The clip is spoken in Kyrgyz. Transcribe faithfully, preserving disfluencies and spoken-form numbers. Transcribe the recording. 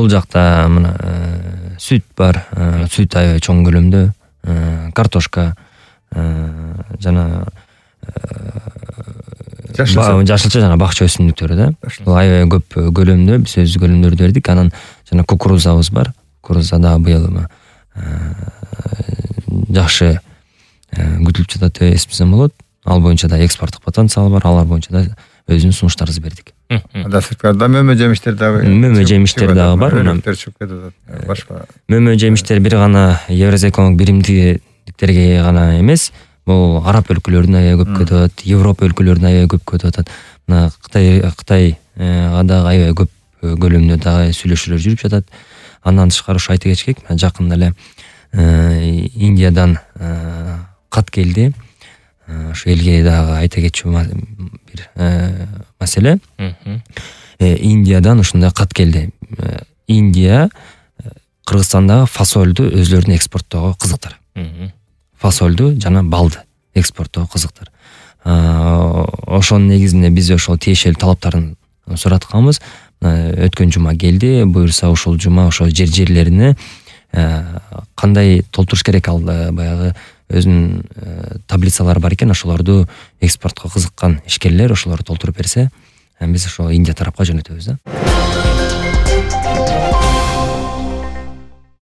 бул жакта мына сүт бар, сүт аябай чоң көлөмдө, картошка жана жашылча жана бакча өсүмдүктөрү да. Бул аябай көп көлөмдө биз өз көлөмдөрдү бердик. Анан жана кукурузабыз бар. Кукуруза да быйыл жакшы күтүлүп жатат деп эсептесем болот. Ал боюнча да экспорттук потенциал бар. Алар боюнча да өзүнүн сунуштарыбызды бердик. Да сырткарда мөмө жемиштер дагы. Мөмө жемиштер дагы бар. Башка. Мөмө жемиштер бир гана Евразия экономик биримдиктерге гана эмес, бул араб өлкөлөрүнө аябай көп кетип атат, Европа өлкөлөрүнө аябай көп кетип атат. Мына Кытай Кытайга дагы аябай көп көлөмдө дагы сүйлөшүүлөр жүрүп жатат. Андан тышкары ушу айта кетиш керек, жакында эле Индиядан кат келди. Ошо элге дагы айта кетчү бир маселе. Индиядан ушундай кат келди. Индия Кыргызстандагы фасолду өзлөрүнүн экспорттоого кызыктар. Фасолду жана балды экспорттоого кызыктар. Ошонун негизинде биз ошол тиешелүү талаптарын суратканбыз. Өткөн жума келди. Буюрса ушул жума ошо жер жерлерине кандай толтуруш керек, ал баягы өзүнүн таблицалары бар экен. Ошолорду экспортко кызыккан ишкерлер ошолорду толтуруп берсе, биз ошо Индия тарапка жөнөтөбүз да.